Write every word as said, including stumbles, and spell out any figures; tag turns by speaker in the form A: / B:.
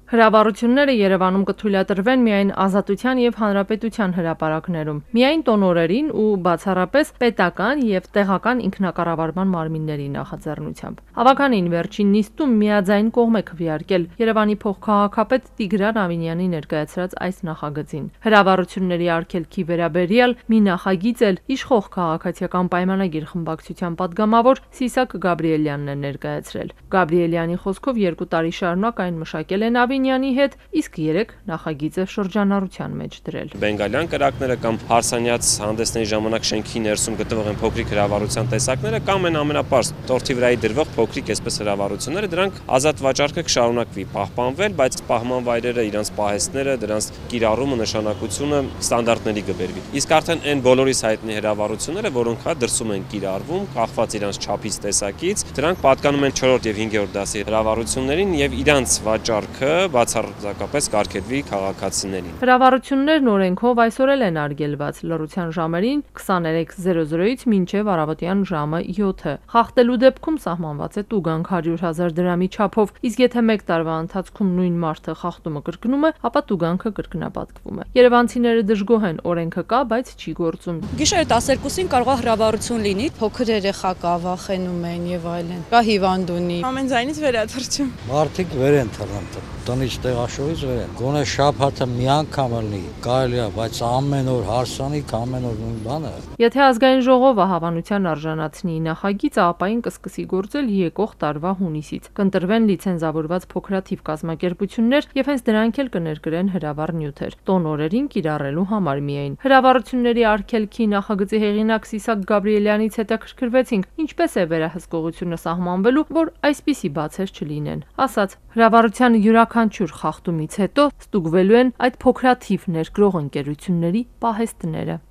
A: Հրավառությունները Երևանում կթույլատրվեն միայն Ազատության և Հանրապետության հրապարակներում, միայն տոնօրերին ու բացառապես պետական և տեղական ինքնակառավարման մարմինների նախաձեռնությամբ։ Հավաքանին վերջին նիստում միաձայն կողմ է քվեարկել Երևանի փոխքաղաքապետ Տիգրան Ավինյանի ներկայացրած այս նախագծին։ Հրավառությունների արգելքի վերաբերյալ մի նախագիծ էլ իշխող Քաղաքացիական պայմանագիր խմբակցության պատգամավոր Սիսակ Գաբրիելյանն է ներկայացրել։ Գաբրիելյանի խոսքով երկու տարի շարունակ այն մշակել են Ավինյանի հետ, իսկ երեք նախագիծը շրջանառության մեջ դրել։
B: Բենգալյան կրակները կամ հարսանյաց հանդեսների ժամանակ շենքի ներսում գտնվող են փոքրիկ հրավառության տեսակները կամ են ամենապարզ տորթի վրայի դրվող փոքրիկ այսպես հրավառությունները, դրանք ազատ վաճառքը կշարունակվի պահպանվել, բայց պահման վայրերը, իրանց պահեստները, դրանց կիրառումը, նշանակությունը ստանդարտների կբերվի։ Իսկ արդեն այն բոլորիս հայտնի հրավառությունները, որոնք հա դրսում են կիրառվում, կախված իրանց չափից, տեսակից, դրանք պատկանում են չորրորդ և հինգերորդ դասի հրավառություններին եւ իրանց վաճառքը բացարձակապես կարգելվի քաղաքացիներին։
A: Հրավառություններն օրենքով այսօր էլ են արգելված լռության ժամերին քսաներեք զրո զրոից մինչև առավոտյան ժամը յոթը։ Խախտելու դեպքում սահմանված է տուգանք հարյուր հազար դրամի չափով, իսկ եթե մեկ տարվա ընթացքում նույն մարդը խախտումը կրկնում է, ապա տուգանքը կրկնապատկվում է։ Երևանցիները դժգոհ են, օրենքը կա, բայց չի գործում։
C: Գիշերը տասներկուսին կարող է հրավառություն լինի, փոքր երեխա կա, վախենում են եւ այլն։ Կա հիվանդունի։
D: Ամեն ձայնից վերաթրջում։
E: Մարդիկ վեր են թռնում, տնից տեղաշորից վեր են։ Գոնե շաբաթը մի անգամ լինի, կարելի է, բայց ամեն օր հարսանիք, ամեն օր նույն բանը։
A: Եթե ազգային ժողովը հավանության արժանացնի նախագիծը, ապա այն կսկսի գործել եկող տարվա հունիսից։ Կընտրվեն լիցենզավորված փոքրաթիվ կազմակերպություններ եւ հենց դրանք էլ կներկրեն հրավառ նյութեր, տոնօրերին կիրառելու համար միայն։ Հրավառությունների արգելքի նախագծի հեղինակ Սիսակ Գաբրիելյանից հետաքրքրվեցինք, ինչպես է վերահսկողությունը սահմանվելու, որ այսպիսի բացեր չլինեն։ Ասաց, հրավառության յուրաքանչյուր խախտումից հետո ստուգվելու են այդ փոքրաթիվ ներկրող ընկերությունների պահեստները։